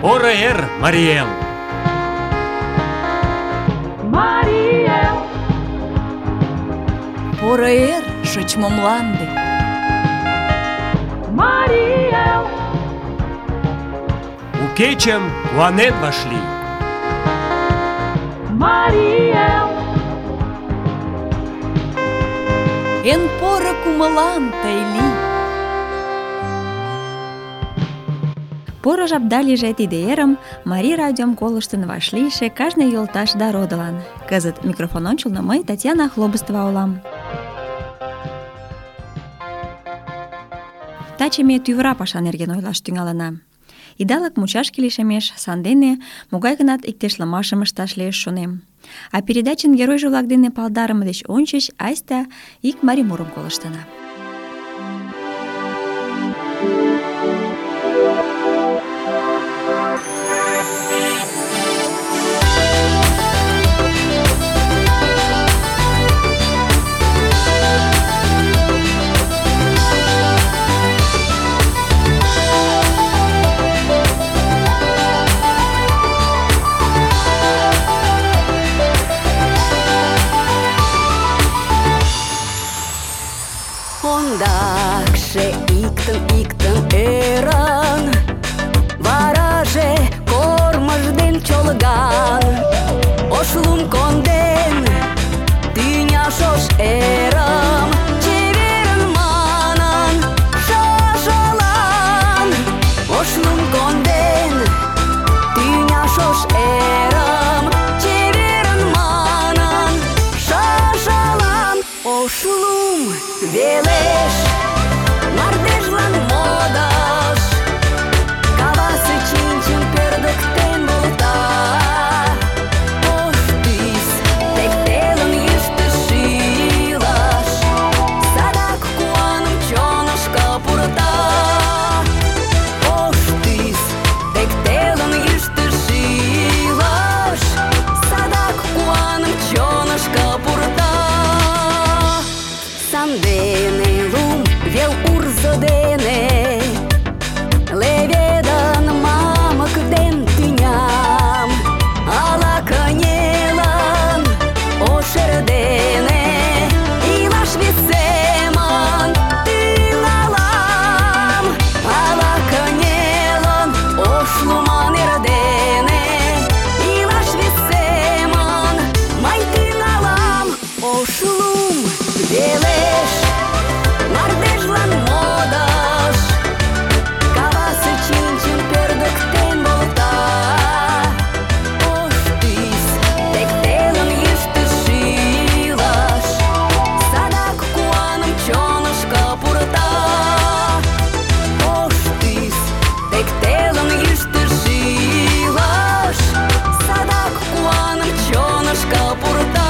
Поро эр, Марий Эл! Марий Эл! Поро эр, шочмо мланде! Марий Эл! У кечым куанен вашлий! Марий Эл! Эн поро кумылан тый лий! Поро жапда лийже тиде эрым Марий радиом колыштын вашлийше кажне йолташ да родылан. Кызыт микрофон ончылно мый, Татьяна Хлобыстова улам. Таче ме тӱвыра паша нерген ойлаш тӱҥалына. Идалык мучашке лишемеш, сандене могай-гынат иктешлымашым ышташ лиеш, шонем. А передачын геройжо-влак дене палдарыме деч ончыч айста ик марий мурым колыштына. Ондакше иктын ӧрын, вараже кормыж ден чолган, ош лум конден тӱня шош эрым, чеверын манын шошылан. Ош лум конден тӱня шош эрым, чеверын манын шошылан. Ош лум велеш мардежлан модаш, кавасе чинчын пӧрдыктен волта. Ош тӱс тек телым йӱштӧ шӱлаш, садак куаным чонышко пурта. Ош тӱс тек телым йӱштӧ шӱлаш, садак куаным чонышко пурта. Сандене лум вел урзо дене леведын мамык ден тӱням, ала кынелын ош эрдене илаш вес семын тӱҥалам. Ала кынелын ош луман эрдене илаш вес семын мый тӱҥалам. Ош лум велеш мардежлан модаш, кавасе чинчын пӧрдыктен волта. Ош тӱс тек телым йӱштӧ шӱлаш, садак куаным чонышко пурта. Ош тӱс тек телым йӱштӧ шӱлаш, садак куаным чонышко пурта.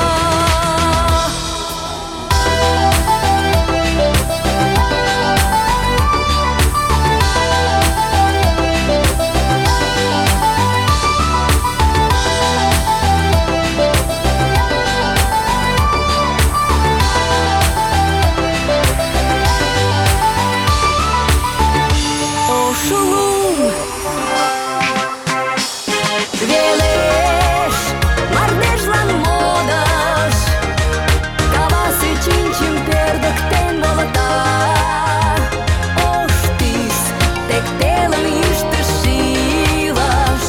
Ош лум велеш мардежлан модаш, кавасе чинчын пӧрдыктен волта. Ош тӱс тек телым йӱштӧ шӱлаш,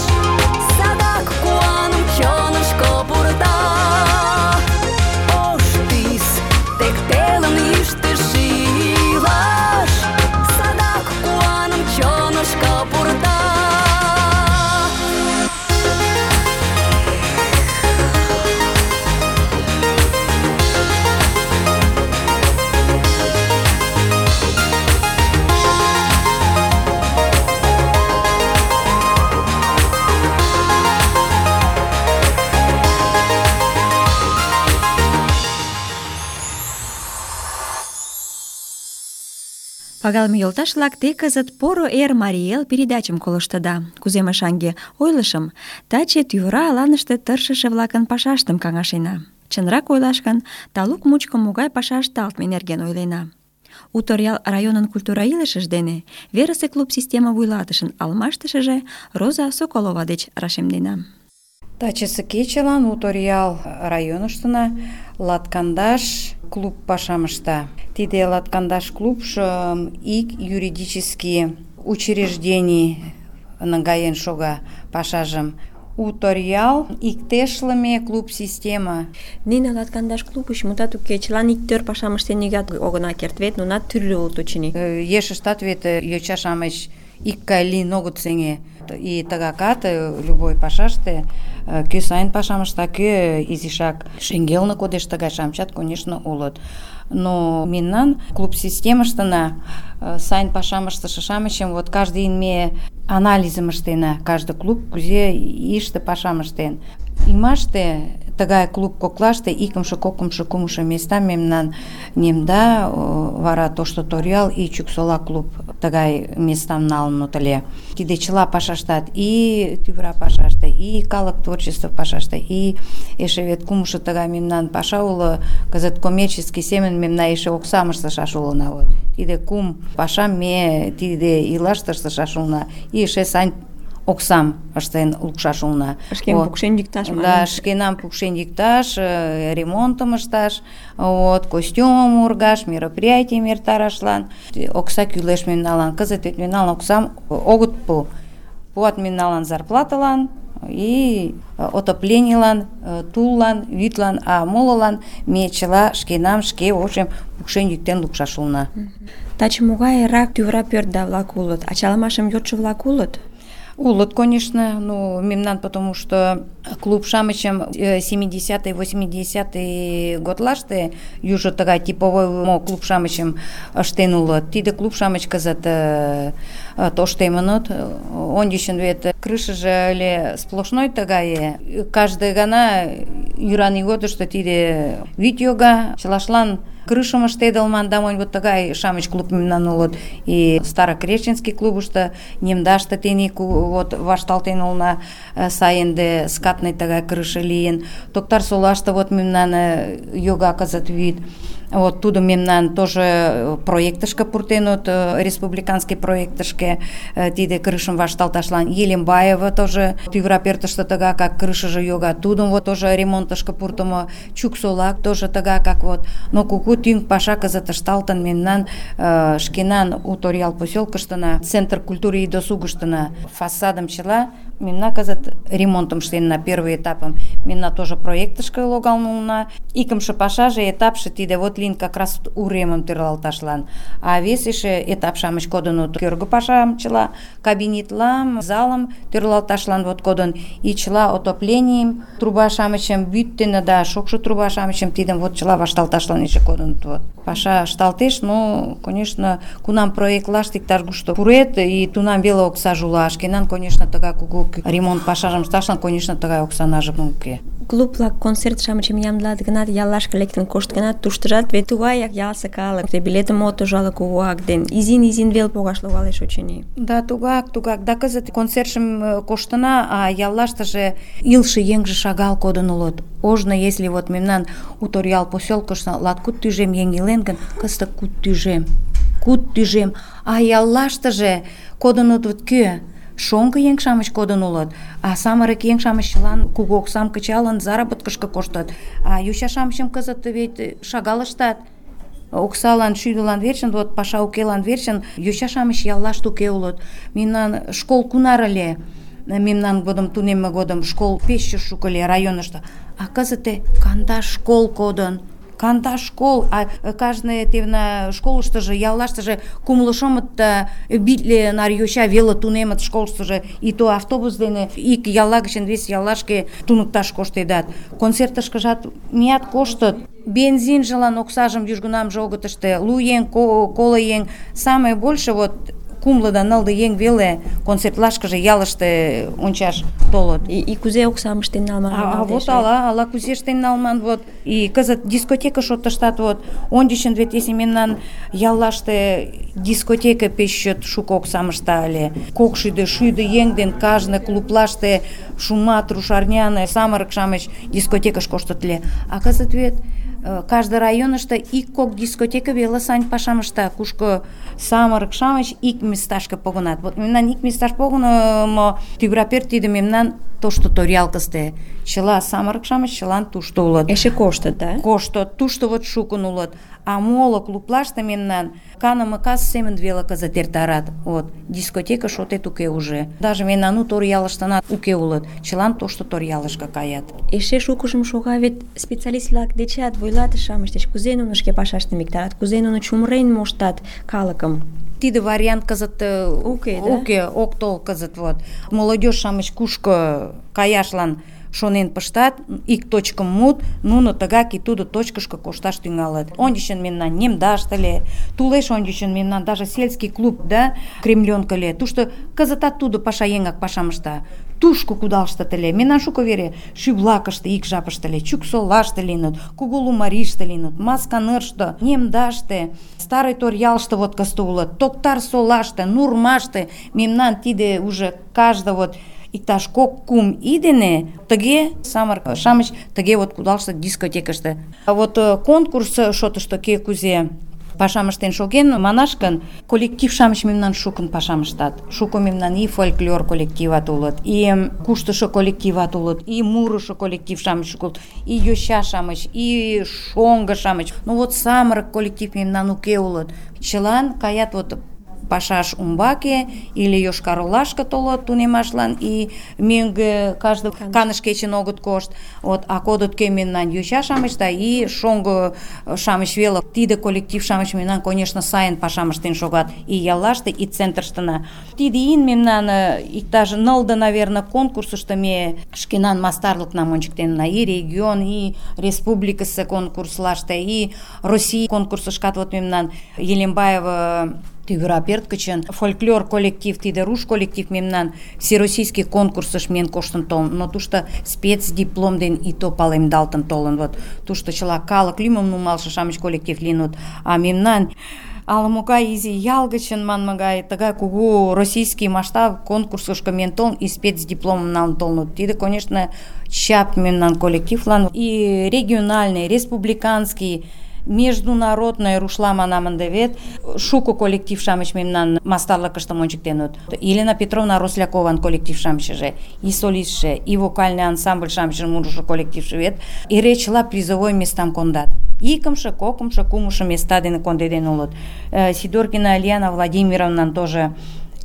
садак куаным чонышко пурта. Ош тӱс тек телым йӱштӧ шӱлаш, садак куаным чонышко пурта. Пагалыме йолташ-влак, те кызыт «Поро эр, Марий Эл» передачым колыштыда. Кузе мый шаҥге ойлышым, таче тӱвыра аланыште тыршыше-влакын пашаштым каҥашена. Чынрак ойлаш гын, талук мучко могай паша ышталтме нерген ойлена. У Торъял районын культура илышыж дене верысе клуб система вуйлатышын алмаштышыже Роза Соколова деч рашемдена. Тачысе кечылан у Торъял районыштына латкандаш клуб пашам ышта. Тиде латкандаш клубшо ик юридический учреждений нагаен шога пашажым. У Торъял иктешлыме клуб система. Нине латкандаш клубыш мутат уке, чылан иктӧр пашам ыштен нигат огына керт вет, нунат тӱрлӧ улыт, очыни. Ешыштат вет йоча-шамыч икгай лийын огыт сеҥе. И тыгакат любой пашаште кӧ сайын пашам ышта, кӧ изишак шеҥгелне кодеш, тыгай-шамычат, конечно, улыт. Но мемнан клуб системыштына сайын пашам ыштыше-шамычым вот каждый день ме анализым ыштена, каждый клуб кузе ийыште пашам ыштен. Имаште тыгай клуб коклаште икымше, кокымшо, кумшо места мемнан Немда, вара Тошто Торъял и Чуксола клуб тыгай местам налыныт ыле. Тиде чыла пашаштат и тӱвра пашаште, и калык творчество пашаште, и эше вет кумшо тыгай мемнан паша уло, кызыт коммерческий семын мемна эше оксам ыштышаш улына. Вот. Тиде кум пашам ме тиде ийлаште ыштышаш улына, и эше сань оксам ыштен лукшаш улына. Шкем пукшен дикташ. Да, шкенам пукшен дикташ, ремонтым ышташ, вот, костюмым ургаш, мероприятийым эртарашлан. Окса кӱлеш мемналан. Кызыт вет мемналан оксам огыт пу. Пуат мемналан зарплатылан и отопленийлан, туллан, вӱдлан, а молылан ме чыла шкенам шке ошем пукшен йӱктен лукшаш улына. Таче могайрак тӱвра пӧртда-влак улыт? Ачалымашым йодшо-влак улыт? Улыт, конечно, ну, мемнан, потому что клуб-шамычым 70-е, 80-е годлаште южо тыгай типовой клуб-шамычым ыштен улыт. Тиде клуб-шамыч кызыт тоштемыныт. Ончычын вет крышыже ыле сплошной тыгае. Каждый гана йӱран ийготышто тиде вӱд йога, чылашлан крышым ыштедылман, да монь вот тыгай шамыч клуб мемнан улыт. И Старокреченский клубышто, Немдаште тений вот вашталтен улына сайынде скатный тыгай крыша лийын. Токтар-Солаште вот мемнан йога кызыт вӱд. Вот тудо мемнан тоже проектышке пуртенут, республиканский проектышке, тиде крышым вашталташлан. Елембаева тоже тӱвра пӧртыштӧ тыгакак крышыже йога, тудым вот тоже ремонтышке пуртымо. Чуксолак тоже тыгакак вот. Но кугу тӱҥ паша кызыт ышталтын мемнан шкенан у Торъял поселкыштына, Центр культуры и досугыштына. Фасадым чыла мемна кызыт ремонтым ыштенна, первый этапым. Мемна тоже проектышке логалын улына. Икымше пашаже, этапше тиде вот лийын как раз уремым тӧрлалташлан. А вес эше этап-шамыч кодыныт. Кӧргӧ пашам чыла, кабинетлам, залым тӧрлалташлан вот кодын. И чыла отопленийым, труба-шамычым, вӱд дене да шокшо труба-шамычым тидым вот чыла вашталташлан эше кодыныт. Вот. Паша ышталтеш, но, конечно, кунам проектлаште иктаж-кушто пурет, и тунам веле оксаже уло. Шкенан, конечно, тыгай кугу ремонт пашажым ышташлан, конечно, тыгай оксанажым уке. Клуб-влак концерт-шамычым ямдылат гынат, яллашке лектын кошт гынат, туштыжат вет тугаяк ялысе калык. Билетым от ужале кугуак ден изин-изин вел погаш логалеш, очыни. Да, тугак. Да кызыт концертшым коштына, а яллаштыже илше еҥже шагал кодын улыт. Ожно, если вот мемнан у Торъял поселкышто латкуд тӱжем еҥ илен гын, кызыт куд тӱжем. А яллаштыже кодыныт вот кӧ? Шоҥго еҥ-шамыч кодын улыт, а самырык еҥ-шамыч чылан кугу оксам кычалын заработкышко коштыт. А йоча-шамычым кызыт вет шагал ыштат. Оксалан, шӱдылан верчын, вот паша укелан верчын йоча-шамыч яллаште уке улыт. Мемнан школ кунар ыле? Мемнан годым, тунемме годым школ пеш шуко ыле районышто. А кызыт 50 школ кодын. 50 школ, а каждый тевна школыштыжы, яллаштыже кумло шомытта битле нар йоча веле тунемыт школыштыжы, и то автобус дене ик ялла гычын вес яллашке туныкташ коштедат. Концертышкыжат мият коштыт. Бензинжылан оксажым южгунамже огыт ыште. 100 еҥ, 50 еҥ, самое больше вот кумло да нылле еҥ веле концертлашкыже ялыште ончаш толыт. И кузе оксам ыштен налман? А вот ала кузе ыштен налман вот. И кызыт дискотека шотыштат вот. Ончычын вет если мемнан яллаште дискотека пеш чот шуко оксам ышта ыле. 200 еҥ ден кажне клублаште шумат, рушарняне, самырык-шамыч дискотекыш коштыт ыле. А кызыт вет каждый районышто ик-кок дискотека веле сайын пашам ышта, кушко самырык-шамыч ик месташке погынат. Вот мемнан ик месташ погынымо тӱвра пӧрт тиде мемнан тошто Торъялкысте. Чыла самырык-шамыч чылан тушто улыт. Эше коштыт, да? Коштыт, тушто вот шукын улыт. А моло клублаште мемнан каныме кас семын веле кызыт эртарат. Вот, дискотека шотет уке уже. Даже мемнан у Торъялыштынат уке улыт. Чылан тошто Торъялышке каят. Эше шукыжым шога вет специалист-влак дечат, вуйлатыше-шамыч деч, кузе нуно шке пашаштым виктарат, кузе нуно чумырен моштат калыкым. Тиде вариант кызыт уке, ок тол кызыт вот. Молодёжь-шамыч кушко каяшлан шонен пыштат, ик точкым мут, нуно тыгак и тудо точкышко кошташ тӱҥалыт. Ончычын мемнан Немдаште ыле, тулеш ончычын мемнан даже сельский клуб, да, Кремлёнка ыле. Тушто кызытат тудо пашаеҥак пашам ышта. Тушко кудалыштыт ыле. Мемнан шуко вере Шӱблакыште ик жапыште ыле, Чуксолаште лийыныт, Кугу Лумарийыште лийыныт, Масканерыште, Немдаште, Старый Торъялыште вот кызыт улыт, Токтар-Солаште, Нурмаште. Мемнан тиде уже каждый вот иктаж кок-кум ий дене тыге самырык-шамыч тыге вот кудалыштыт дискотекыште. А вот конкурс шотышто кӧ кузе пашам ыштен шоген, манаш гын, коллектив-шамыч мемнан шукын пашам ыштат. Шуко мемнан и фольклор коллективат улыт, и куштышо коллективат улыт, и мурышо коллектив-шамыч улыт, и йоча-шамыч, и шоҥго-шамыч. Ну вот самырык коллектив мемнан уке улыт. Чылан каят вот пашаш умбаке или Йошкар-Олашке толыт тунемашлан, и мӧҥгӧ каждый Каныш кечын огыт кошт. Вот, а кодыт кӧ мемнан йоча-шамыч да и шоҥго-шамыч веле. Тиде коллектив-шамыч мемнан, конечно, сайын пашам ыштен шогат и яллаште, и центрыштына. Тиде ийын мемнан иктаж 9, наверное, конкурсышто ме шкенан мастарлыкнам ончыктенна. И регион, и республикысе конкурслаште, и Россий конкурсышкат вот мемнан Елембаева тӱвра пӧрт гычын фольклор коллектив, тиде руш коллектив мемнан всероссийский конкурсыш миен коштын толын, но тушто спецдиплом ден и то палемдалтын толын. Вот тушто чыла калык лӱмым нумалше-шамыч коллектив лийыныт, а мемнан ала-могай изи ял гычын манме гай тыгай кугу российский масштаб конкурсышко миен толын и спецдипломым налын толыныт. Тиде, конечно, чап мемнан коллективлан. И региональный, республиканский, международный рушла манам ынде вет шуко коллектив-шамыч мемнан мастарлыкыштым ончыктеныт. Елена Петровна Рослякован коллектив-шамычыже, и солистше, и вокальный ансамбль-шамычын мурышо коллективше вет эре чыла призовой местам кондат. Икымше, кокымшо, кумшо места дене кондеден улыт. Сидоркина Ильяна Владимировнан тоже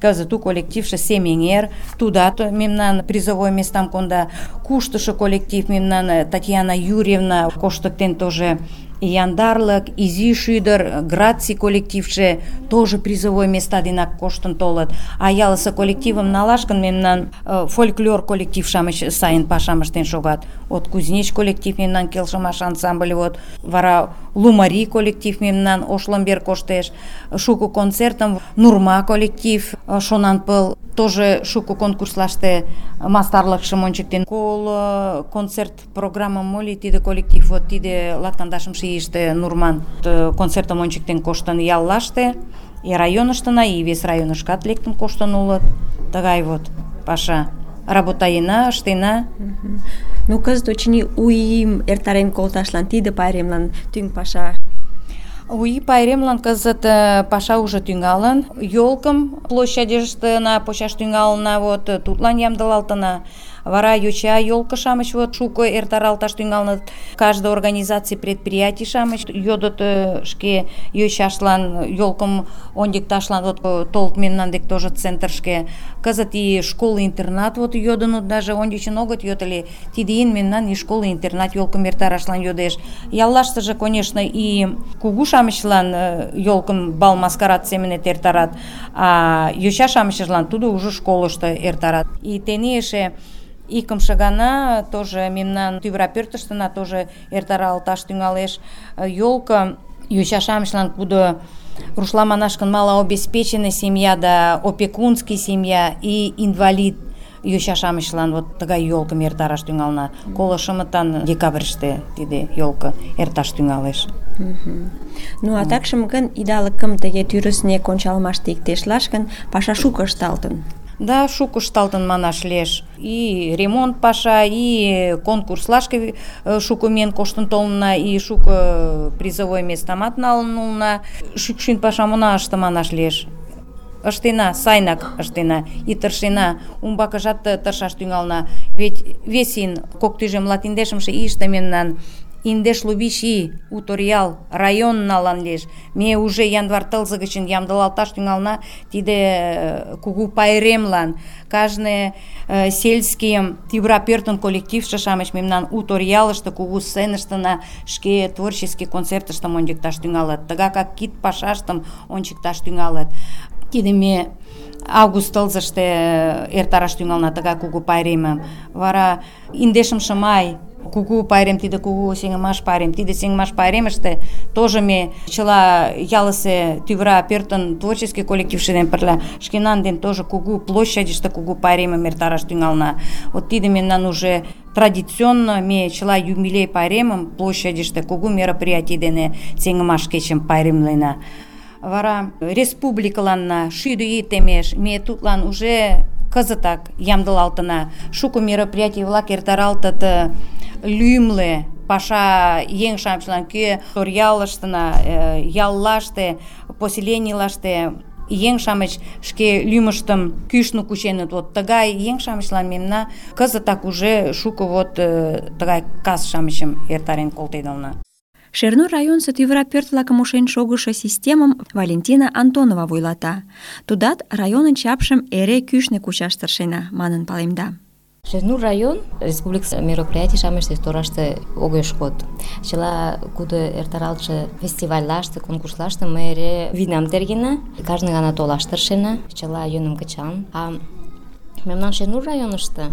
кызыт у коллективше Семеҥер, тудат мемнан призовой местам конда. Куштышо коллектив мемнан Татьяна Юрьевна коштыктен тоже. Яндарлык, Изи Шӱдыр, Граций коллективше тоже призовой места денак коштын толыт. А ялысе коллективым налаш гын мемнан фольклор коллектив-шамыч сайын пашам ыштен шогат. Вот Кузнеч коллектив мемнан келшымаш ансамбль, вот вара Лумарий коллектив мемнан Ошломбер коштеш, шуко концертым Нурма коллектив Шонанпыл тоже шуко конкурслаште мастарлыкшым ончыктен. Кол концерт программа моли тиде коллектив, вот тиде латкандашымше ийыште Нурман концертым ончыктен коштын яллаште, и районыштына, и вес районышкат лектын коштын улыт. Тыгай вот паша. Работаена, ыштена. Ну, кызыт очыни у ийым эртарен колташлан тиде пайремлан тӱҥ паша. У ий пайремлан кызыт паша уже тӱҥалын. Ёлкым площадьыштына почаш тӱҥалына, вот тудлан ямдылалтына. Вара йоча ёлко-шамыч вот шуко эртаралташ тӱҥалыныт. Каждый организаций, предприятий-шамыч йодыт шке йочашлан ёлкым ончыкташлан вот толыт мемнан дек тоже центрышке. Кызыт и школы-интернат вот йодыныт, даже ончычын огыт йод ыле. Тиде ийын мемнан и школы-интернат ёлкым эртарашлан йодеш. Яллаштыже, конечно, и кугу-шамычлан ёлкым бал-маскарад семынет эртарат, а йоча-шамычлан тудо уже школышто эртарат. И тений эше икымше гана тоже мемнан тӱвра пӧртыштына тоже эртаралташ тӱҥалеш ёлко йоча-шамычлан, кудо рушла манаш гын малообеспеченный семья да опекунский семья и инвалид йоча-шамычлан вот тыгай ёлкым эртараш тӱҥалына. 25 декабрьыште тиде ёлко эрташ тӱҥалеш. Ну, а такшым гын идалыкым тыге тӱрыснек ончалмаште иктешлаш гын паша шуко ышталтын. Да, шуко ышталтын манаш лиеш. И ремонт паша, и конкурслашке шуко миен коштын толынна, и шуко призовой местамат налын улына. Шӱкшӱн пашам она ыште манаш лиеш. Ыштена, сайнак ыштена, и тыршена, умбакыжат тыршаш тӱҥална. Ведь вес ийын, кок тӱжем латиндешымше ийыште мемнан индеш лубиш ий у Торъял район налан лиеш. Ме уже январь тылзе гычын ямдылалташ тӱҥална тиде кугу пайремлан. Кажне сельский тӱвра пӧртын коллективше-шамыч мемнан у Торъялыште кугу сценыштына шке творческий концертыштым ончыкташ тӱҥалыт. Тыгакак кид пашаштым ончыкташ тӱҥалыт. Тиде ме август тылзыште эртараш тӱҥална тыгай кугу пайремым. Вара индешымше май кугу пайрем, тиде кугу сеҥымаш пайрем. Тиде сеҥымаш пайремыште тоже ме чыла ялысе тӱвра пӧртын творческий коллективше дене пырля шкенан ден тоже кугу площадьыште кугу пайремым эртараш тӱҥална. Вот тиде мемнан уже традиционно ме чыла юбилей пайремым площадьыште кугу мероприятий дене сеҥымаш кечым пайремлена. Вара республикыланна 7 ий темеш, ме тудлан уже кызытак ямдылалтына. Шуко мероприятий-влак эртаралтыт лӱмлӧ паша еҥ-шамычлан, кӧ Торъялыштына, яллаште, поселенийлаште еҥ-шамыч шке лӱмыштым кӱшнӧ кученыт. Вот тыгай еҥ-шамычлан мемна кызытак уже шуко вот тыгай кас-шамычым эртарен колтедылна. Шернур районысо тӱвра пӧрт-влакым ушен шогышо системым Валентина Антонова вуйлата. Тудат районын чапшым эре кӱшнӧ кучаш тыршена, манын палемда. Шернур район республика мероприятий-шамыште тораште огеш код. Чыла кудо эртаралтше фестивальлаште, конкурслаште ме эре вийнам тергена, кажне гана толаш тыршена, чыла йӧным кычалын. А мемнан Шернур районыште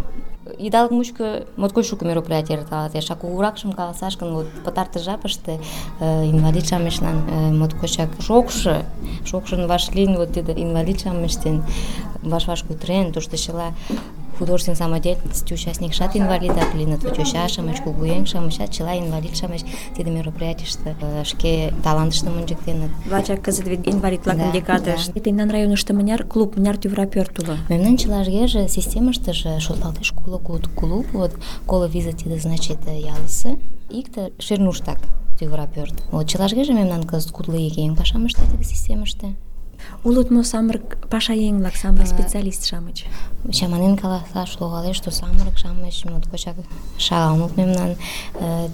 идалык мучко моткоч шуко мероприятий эрталалтеш. А кугуракшым каласаш гын, вот пытартыш жапыште инвалид-шамычлан моткочак шокшын вашлийын, вот тиде инвалид-шамыч дене ваш-ваш кутырен, тушто чыла художественный самодеятельности участник-шат инвалидак лийыныт, йоча-шамыч, кугуеҥ-шамычат, чыла инвалид-шамыч тиде мероприятийыште шке талантыштым ончыктеныт. Лачак кызыт вет инвалид-влакын декадыш. Тендан районышто мыняр клуб, мыняр тӱвра пӧрт уло? Мемнан чылажгеже системыштыже шотлалтеш коло куд клуб, вот коло виза тиде значит ялысе, икте Шернуштак тӱвра пӧрт. Вот чылажгеже мемнан кызыт кудло ик еҥ пашам ышта тиде системыште. Улыт мо самырык пашаеҥ-влак, самырык специалист-шамыч? Чаманен каласаш логалеш, что самырык-шамыч моткочак шагал улыт мемнан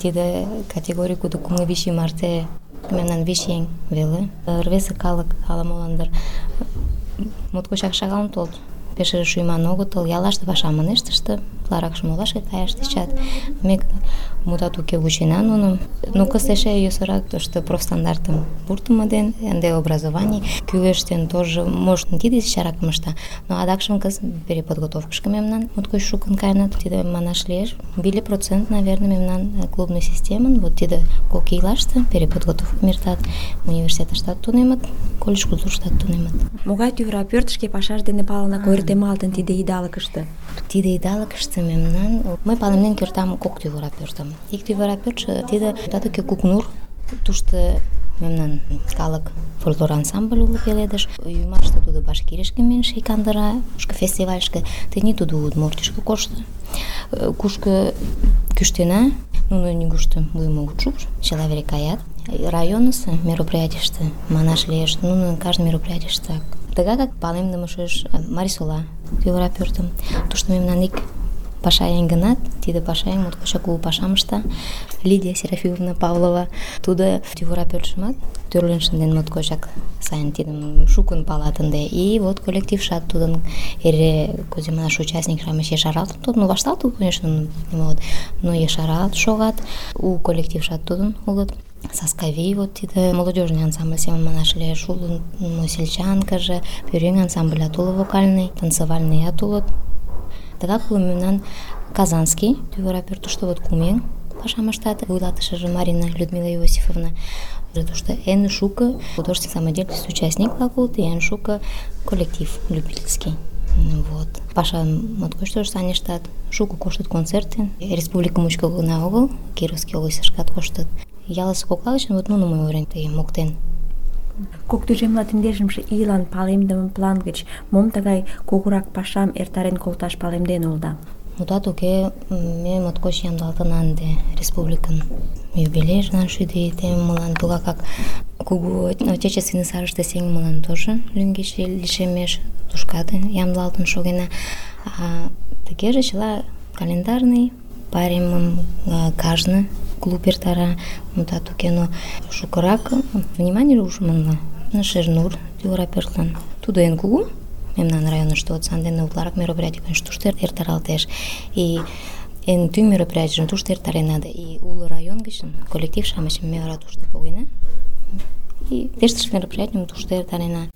тиде категорий, кудо кумло вич ий марте мемнан вич еҥ веле. Рвезе калык ала-молан дыр моткочак шагал толыт. Пешыже шуйман огытыл, яллаште пашам ынешт ыште, утларакшым олашке каяш тӧчат. Ме мутат уке вучена нуным. Но кызыт эше йӧсырак тошто профстандартым пуртымо ден, ынде образований кӱлеш ден тоже может тиде чаракым ышта. Но адакшым кызыт переподготовкышко мемнан моткоч шукын каеныт. Тиде манаш лиеш 50%, наверное, мемнан клубный системын вот тиде кок ийлаште переподготовкым эртат. Университетыштат тунемыт, колледж культурыштат тунемыт. Могай тӱвра пӧрт шке пашаж дене палынак ойыртемалтын тиде идалыкыште? Тиде идалыкыште мемнан мый палемден кертам кок тӱвра пӧртым. Ик тӱвра пӧртшӧ тиде татыке Кукнур, тушто мемнан калык фольклор ансамбль уло пеледыш. Ӱмаште тудо Башкиришке миен шикандыра, фестивальышке, тений тудо Удмуртишке кошто. Кушко кӱштена, нуно нигушто вуйым огыт шупш, чыла вере каят. Районысо мероприятийыште манаш лиеш, нуно кажне мероприятийыште тыгакак палемдыме шуэш Марисола тӱвра пӧртым. Тушто мемнан ик пашаеҥ гынат, тиде пашаеҥ моткочак кугу пашам ышта. Лидия Серафимовна Павлова. Тудо тӱвра пӧртшымат тӧрлен шынден моткочак сайын, тидым шукын палат ынде. И вот коллектившат тудын эре, козе манаш, участник-шамыч ешаралтын толыт. Ну, вашталтыт, конечно, но ешаралт шогат. У коллектившат тудын улыт. Саскавий, вот тиде молодежный ансамбль семын манаш лиеш, улын сельчанкаже, пӧръеҥ ансамблят уло вокальный, танцевальныят улыт. Тыгак уло мемнан Казанский тӱвра пӧртыштӧ вот кум еҥ пашам ыштат, вуйлатышыже Марина Людмила Иосифовна. Тушто эн шуко художественный самодеятельность участник-влак улыт, эн шуко коллектив любительский. Вот. Паша моткоч тоже сайын ыштат, шуко коштыт концерты. Республика мучко гына огыл, Кировский областьышкат коштыт. Ялысе кокла гычын вот нуным мый ойырен моктен Кок тӱжем латиндешымше ийлан палемдыме план гыч мом тыгай кугурак пашам эртарен колташ палемден улыда? Мутат уке, ме моткоч ямдылалтына ынде республикын юбилейжлан шӱдӧ ий теммылан, тугакак кугу отечественный сарыште сеҥымылан тоже лӱҥгече лишемеш, тушкат ямдылалтын шогена. Тыгеже чыла календарный пайремым кажне клуб эртара, мутат уке, но шукырак внимание ушманла Шернур тӱвыра пӧртлан. Тудо эн кугу мемнан районышто, вот сандене утларак мероприятий, конечно, тушто эртаралтеш. И эн тӱҥ мероприятийжым тушто эртарена, и уло район гычын коллектив-шамычым ме вара тушто погена. И тештыш мероприятийым тушто эртарена.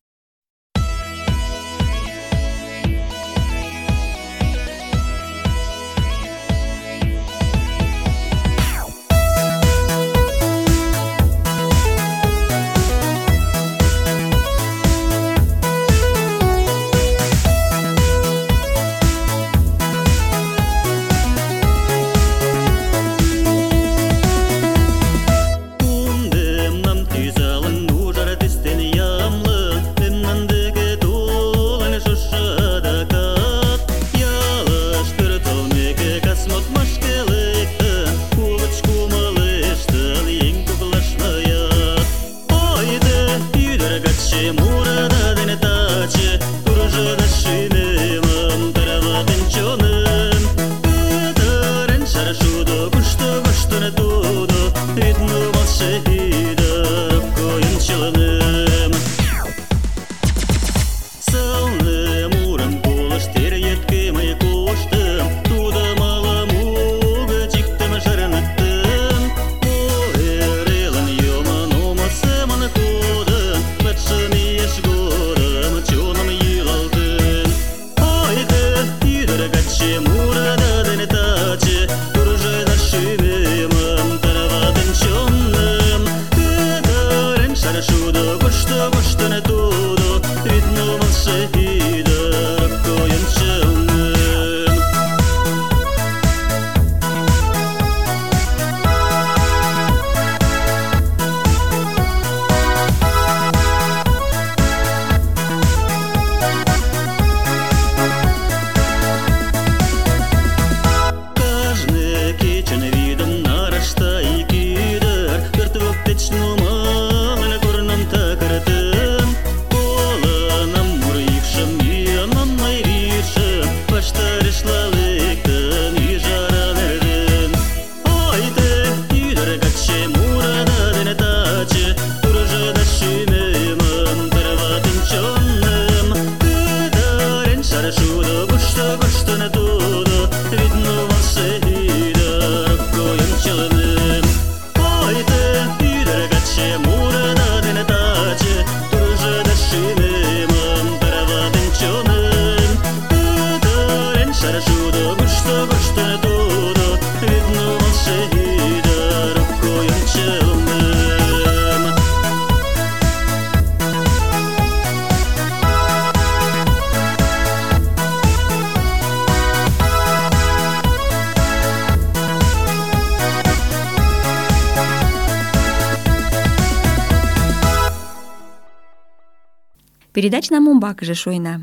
Передачна умбакыже шуйна.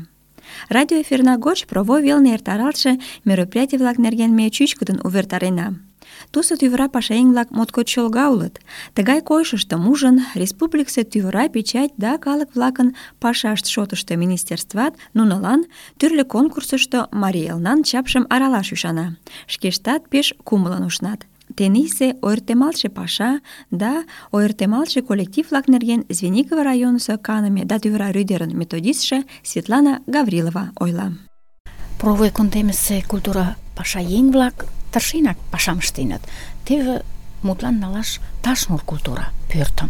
Радиоэфирна гоч провой велне эртаралтше мероприятий-влак нерген ме чӱчкыдын увертарена. Тусо тӱвыра пашаеҥ-влак моткоч чолга улыт. Тыгай койышыштым ужын, республикысе тӱвыра печать да калык-влакын пашашт шотышто министерстват нунылан тӱрлӧ конкурсышто Марий Элнан чапшым аралаш ӱшана. Шкештат пеш кумылын ушнат. Тенийсе ойыртемалтше паша да ойыртемалтше коллектив-влак нерген Звенигово районысо каныме да тӱвыра рӱдерын методистше Светлана Гаврилова ойла. Провой кундемысе культура пашаеҥ-влак тыршенак пашам ыштеныт. Теве мутлан налаш Ташнур культура пӧртым.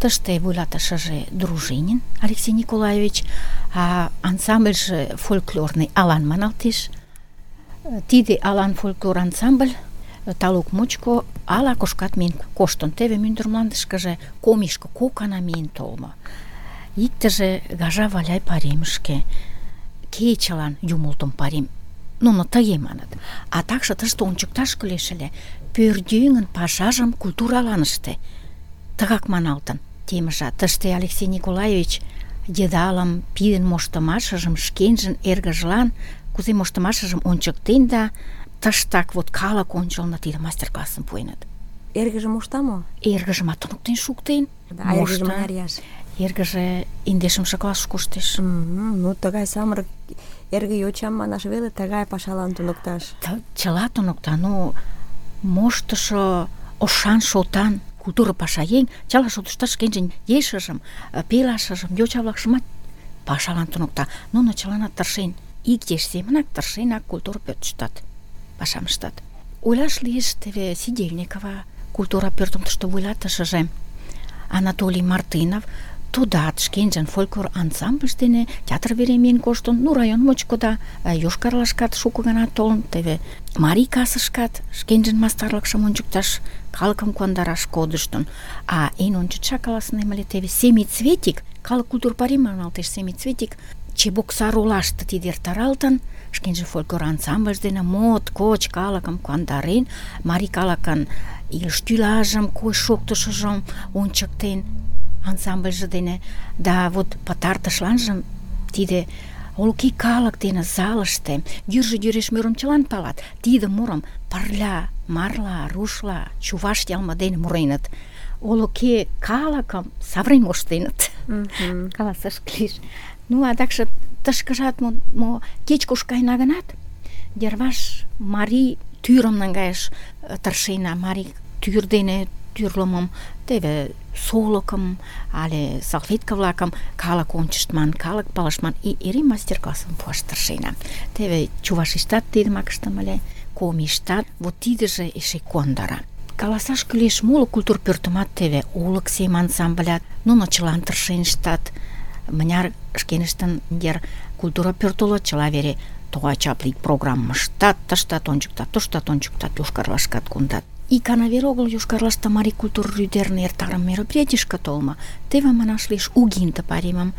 Тыште вуйлатышыже Дружинин Алексей Николаевич, а ансамбльже фольклорный Алан маналтеш. Тиде Алан фольклор ансамбль талук мучко ала-кушкат миен коштын. Теве мӱндыр мландышкыже комишко кок гана миен толмо. Иктыже Гажа Валяй пайремышке, кечылан юмылтым пайрем. Нуно тыге маныт. А такше тыште ончыкташ кӱлеш ыле: пӧръеҥын пашажым культуралан ыште. Тыгак маналтын. темыжат. Тыште Алексей Николаевич йыдалым пидын моштымашыжым шкенжын эргыжлан кузе моштымашыжым ончыктен да тыштак вот калык ончылно тиде мастер-классым пуэныт. Эргыже мошта мо? Эргыжымат туныктен шуктен. А эргыже мыняр ияш? Эргыже 11-ше классыш коштеш. Ну, тыгай самырык эрге йочам манаш веле тыгай пашалан туныкташ. Чыла туныкта, но моштышо ошан шотан культура пашаеҥ чыла шотыштат шкенжын ешыжым, пелашыжым, йоча-влакшымат пашалан туныкта. Нуно чыланат тыршен, ик еш семынак тыршенак культура пӧртыштат пашам ыштат. Ойлаш лиеш теве Сидельникова культура пӧртым тыште вуйлатышыже Анатолий Мартынов, тудат шкенжын фольклор ансамбльж дене театр вере миен коштын, ну район мучко да Йошкар-Олашкат шуко гана толын, теве Марий касышкат шкенжын мастарлыкшым ончыкташ, калыкым куандараш кодыштын. А эн ончычак каласынем ыле теве Семицветик, калык культур пайрем маналтеш Семицветик, Чебоксар олаште тиде эртаралтын, шкенжын фольклор ансамбльж дене моткоч калыкым куандарен, марий калыкын илыш-тӱлажым, койыш-шоктышыжым ончыктен ансамбльже дене. Да вот пытартышланжым тиде олыки калык дене залыште йӱржӧ йӱреш мурым чылан палат. Тиде мурым пырля, марла, рушла, чуваш йылме дене муреныт. Олыки калыкым савырен моштеныт. Каласаш лиеш. Ну, адакше тышкыжат мо кеч-куш каена гынат, йырваш марий тӱрым наҥгайыш тыршена, марий тӱр дене тӱрлымым, теве солыкым але салфетка-влакым калык ончыштман, калык палышман, эре мастер-классым пуаш тыршена. Теве Чувашиштат тидымак ыштыме ыле, Комиштат, вот тидыже эше куандара. Каласаш кӱлеш, моло культур пӧртымат теве олык сем ансамблят, нуно чылан тыршен ыштат. Мыняр шкеныштын йыр культура пӧрт уло, чыла вере тугай чапле программым ыштат, тыштат ончыктат, туштат ончыктат, Йошкар-Олашкат кондат. Икана веле огыл Йошкар-Олаште марий культур рӱдерын эртарыме мероприятийышке толмо. Теве манаш лиеш Угинде пайремым.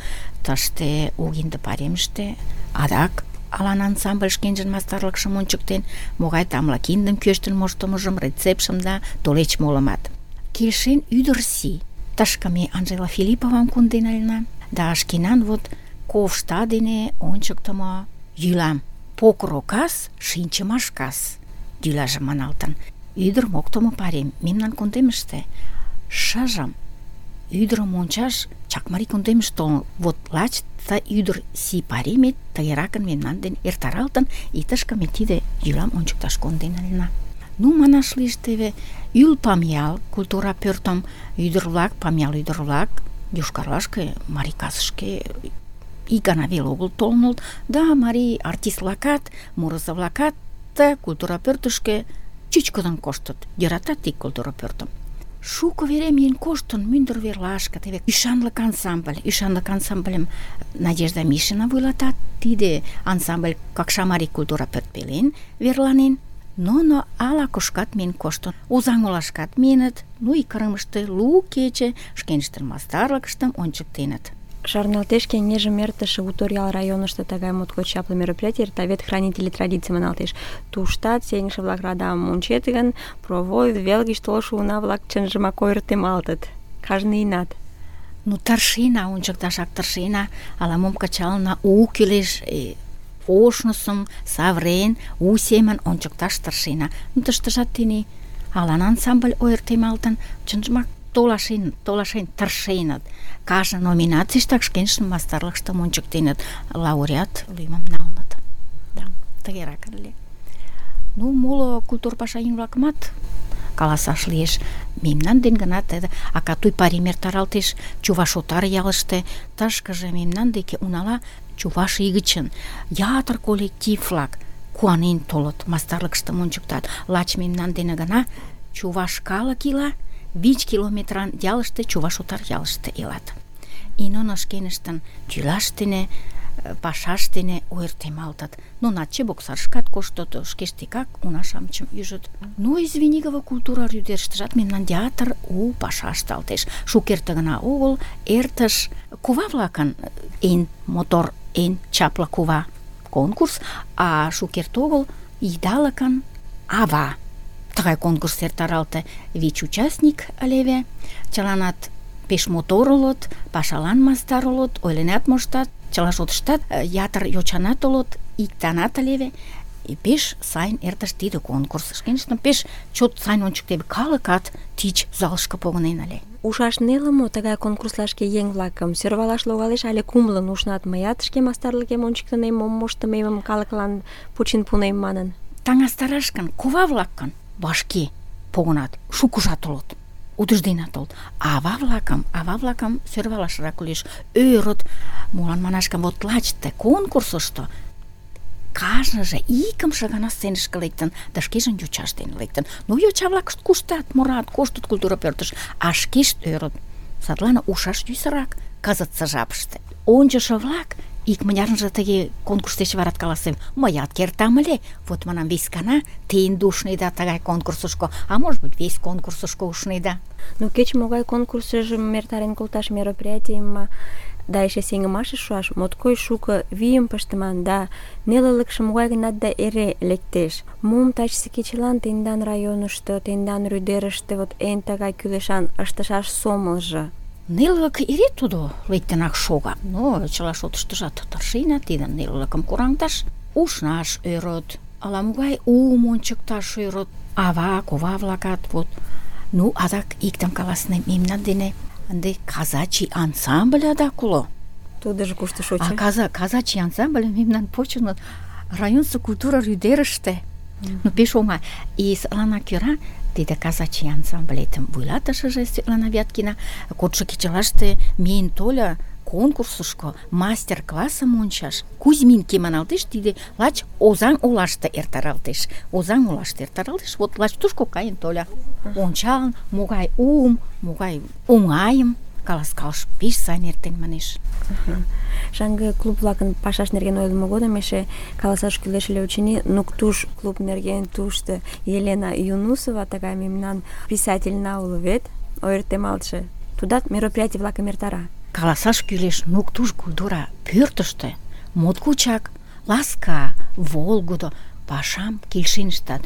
Тыште Угинде пайремыште адак алан ансамбль шкенжын мастарлыкшым ончыктен, могай тамле киндым кӱэштын моштымыжым, рецептшым да тулеч молымат. Келшен ӱдыр сий. Тышке ме Анжела Филипповам конден ыльна. Да шкенан вот ковшта дене ончыктымо йӱлам. Покро кас, шинчымаш кас йӱлаже маналтын. Ӱдыр моктымо пайрем мемнан кундемыште. Шыжым ӱдырым ончаш Чакмарий кундемыш толын. Вот лач ты ӱдыр сий пайремет тыгеракын мемнан ден эртаралтын, и тышке ме тиде йӱлам ончыкташ конден ыльна. Ну, манаш лиеш теве Ӱл Памъял культура пӧртым ӱдыр-влак, Памъял ӱдыр-влак Йошкар-Олашке, марий касышке ик гана веле огыл толын улыт, да марий артист-влакат, мурызо-влакат культура пӧртышкӧ чӱчкыдын коштыт, йӧратат ик культура пӧртым. Шуко вере миен коштын мӱндыр верлашке, теве ӱшанлык ансамбльым Надежда Мишина вуйлата. Тиде ансамбль Какша марий культура пӧрт пелен верланен. Но ала-кушкат миен коштын. Озаҥ-Олашкат миеныт, ну и Кырымыште лу кече шкеныштын мастарлыкыштым ончыктеныт. Шарналтеш кеҥежым эртыше Уторъял районышто тыгай моткоч чапле мероприятий эрта, вет хранители традиций маналтеш. Туштат сеҥыше-влак радамым ончет гын, провой вел гыч толшо уна-влак чынжымак ойыртемалтыт. Кажне ийынат. Ну, тыршена, ончыкташак тыршена, ала-мом кычалына, у кӱлеш, ошнысым савырен, у семын ончыкташ тыршена. Ну, тыштыжат тений алан ансамбль ойыртемалтын, чынжымак толашен тыршеныт. Кажне номинацийыштак шкенжын мастарлыкыштым ончыктеныт, лауреат лӱмым налыныт. Да, тыгерак ыле. Ну, моло культур пашаеҥ-влакымат каласаш лиеш. Мемнан ден гына тиде Акатуй пайрем эртаралтеш Чуваш-Отар ялыште. Тышкыже мемнан деке унала Чуваш ий гычын ятыр коллектив-влак куанен толыт, мастарлыкыштым ончыктат. Лач мемнан дене гына чуваш калык ила, 5 километран ялыште, Чуваш-Отар ялыште илат. И нуно шкеныштын тӱлаш дене, пашаш дене ойыртемалтыт. Нунат Чебоксарышкат коштыт, шкештекак уна-шамычым ӱжыт. Ну, Звенигово культура рӱдерыштыжат мемнан театр у паша ышталтеш. Шукерте гына огыл эртыш кува-влакын эн мотор, эн чапле кува конкурс, а шукерте огыл идалыкын ава. Тыгай конкурс эртаралте. 5 участник ылеве. Чыланат пеш мотор улыт, пашалан мастар улыт, ойленат моштат, чыла шотыштат ятыр йочанат улыт, иктанат ылеве. И пеш сайын эртыш тиде конкурс. Шкеныштым пеш чот сайын ончыктеве. Калыкат тич залышке погынен ыле. Ушаш неле мо тыгай конкурслашке еҥ-влакым? Сӧрвалаш логалеш але кумылын ушнат? Мыят шке мастарлыкем ончыктынем, мом моштымемым калыклан почин пунем манын. Таҥастараш гын, кува-влак гын вашке погынат, шукыжат улыт, утыжденат улыт. Ава-влакым сӧрвалашрак кӱлеш. Ӧрыт, молан манаш гын, вот лач ты конкурсышто кажныже икымше гана сценышке лектын, да шкежын йочаж дене лектын. Ну, йоча-влакышт куштат, мурат, коштыт культура пӧртыш, а шкешт ӧрыт. Садлан ушаш йӧсырак кызытсе жапыште. Ончышо-влак икмынярынже тыге конкурс деч варат каласем: мыят кертам ыле, вот манам, вес гана те ынде ушнеда тыгай конкурсышко, а может быть, весь конкурсышко ушнеда. Ну, кеч-могай конкурсыжым эртарен колташ мероприятийым да эше сеҥымашыш шуаш моткоч шуко вийым пыштыман, да нелылыкше могай-гынат да эре лектеш. Мом тачысе кечылан тендан районышто, тендан рӱдерыште вот эн тыгай кӱлешан ыштышаш сомылжо? Нелылык эре тудо лектынак шога, но чыла шотыштыжат тыршена тидын нелылыкым кораҥдаш. Ушнаш ӧрыт, ала-могай уым ончыкташ ӧрыт. Ава, кува-влакат вот. Ну, адак иктым каласынем, мемнан дене ынде казачий ансамбль адак уло. Тудыжо кушто шочо? Казачий ансамбль мемнан почыныт районысо культура рӱдерыште. Ну, пеш оҥай. И садланак кӧра тиде казачий ансамблетым вуйлатышыже Светлана Вяткина кодшо кечылаште миен тольо конкурсышко мастер-классым ончаш. Кузьминки маналтеш, тиде лач Озаҥ олаште эртаралтеш. Озаҥ олаште эртаралтеш, вот лач тушко каен тольо. Ончалын, могай уым, могай оҥайым каласкалыш, пеш сайын эртен манеш. Шаҥге клуб-влакын пашаш нерген ойлымо годым эше каласаш кӱлеш ыле, очыни, Нуктуш клуб нерген тушто Елена Юнусова, тыгай мемнан писательна уло вет, ойыртемалтше. Тудат мероприятий-влакым эртара. Каласаш кӱлеш, Нуктуш культура пӧртыштӧ моткочак ласка, волгыдо пашам келшен ыштат.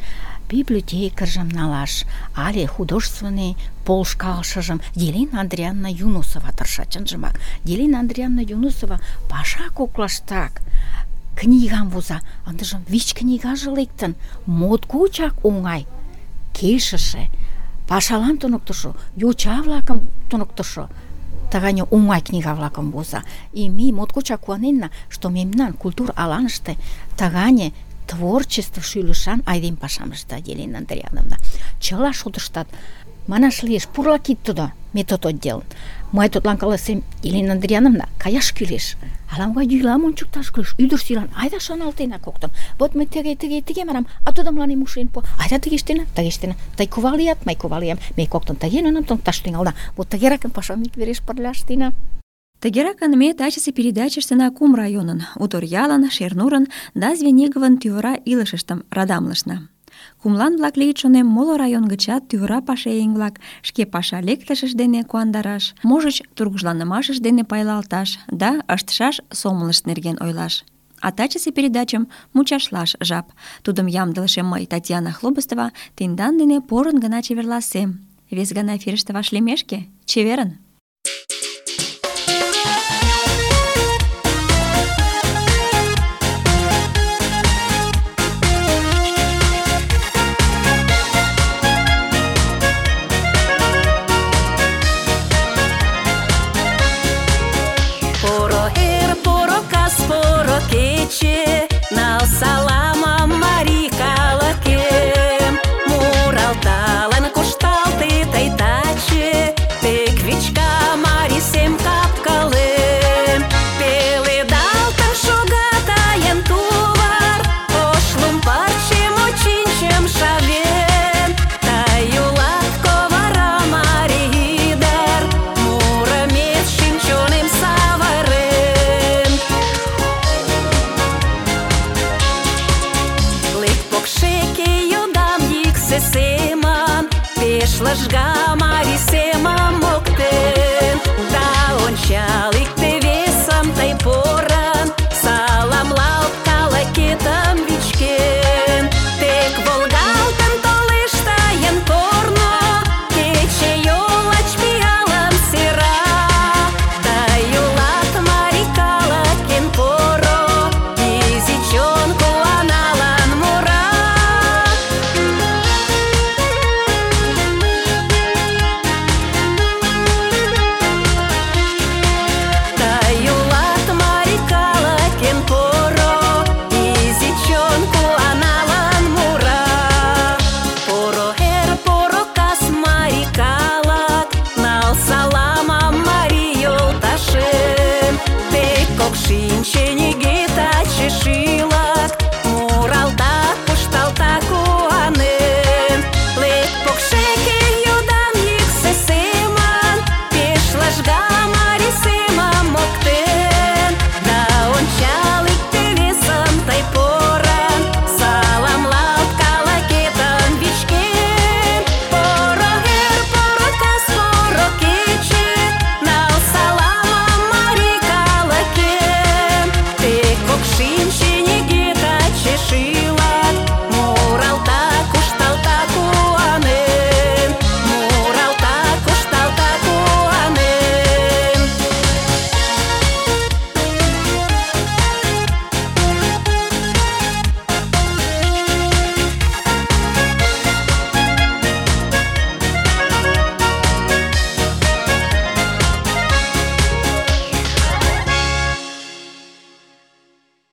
Библиотекаржым налаш але художественный полышкалышыжым Елена Андриановна Юнусова тырша, чынжымак. Елена Андриановна Юнусова паша коклаштак книгам воза, ындыжым 5 книгаже лектын, моткочак оҥай, келшыше, пашалан туныктышо, йоча-влакым туныктышо тыгане оҥай книга-влакым воза. И ме моткочак куаненна, что мемнан культур аланыште тыгане творчество шӱлышан айдем пашам ышта Елена Андриановна. Чыла шотыштат манаш лиеш, пурла кид тудо метод отдел. Мый тудлан каласем: Елена Андриановна, каяш кӱлеш. Ала-могай йӱлам ончыкташ кӱлеш. Ӱдыр сӱран айда шоналтена коктын. Вот мый тыге манам, а тудо мыланем ушен пуа. Айда тыге ыштена. Тый кува лият, мый кува лиям. Ме коктын тыге нуным туныкташ тӱҥалына. Вот тыгеракын пашам иквереш пырля ыштена. Тыгеракын ме тачысе передачыштына кум районын, Уторъялын, Шернурын да Звениговын тӱвыра илышыштым радамлышна. Кумлан-влак лийыт, шонем, моло район гычат тӱвыра пашаеҥ-влак шке паша лектышышт дене куандараш, можыч, тургыжланымашышт дене пайлалташ да ыштышаш сомылышт нерген ойлаш. А тачысе передачым мучашлаш жап. Тудым ямдылыше мый, Татьяна Хлобыстова, тендан дене порын гына чеверласем. Вес гана эфирыште вашлиймешке, чеверын! Нал салама марий калыкем, муралталын кушталте тый таче, тек вичка марий сем капкалем. Пеледалтын шога тайын тувар, ош лум пырчым очинчым шавен. Тый улат ковара марий ӱдыр, мурымет шӱм-чонем савырен. Покшеке йодам йӱксӧ семын, пеш лыжга марий семым моктен, да ончал ик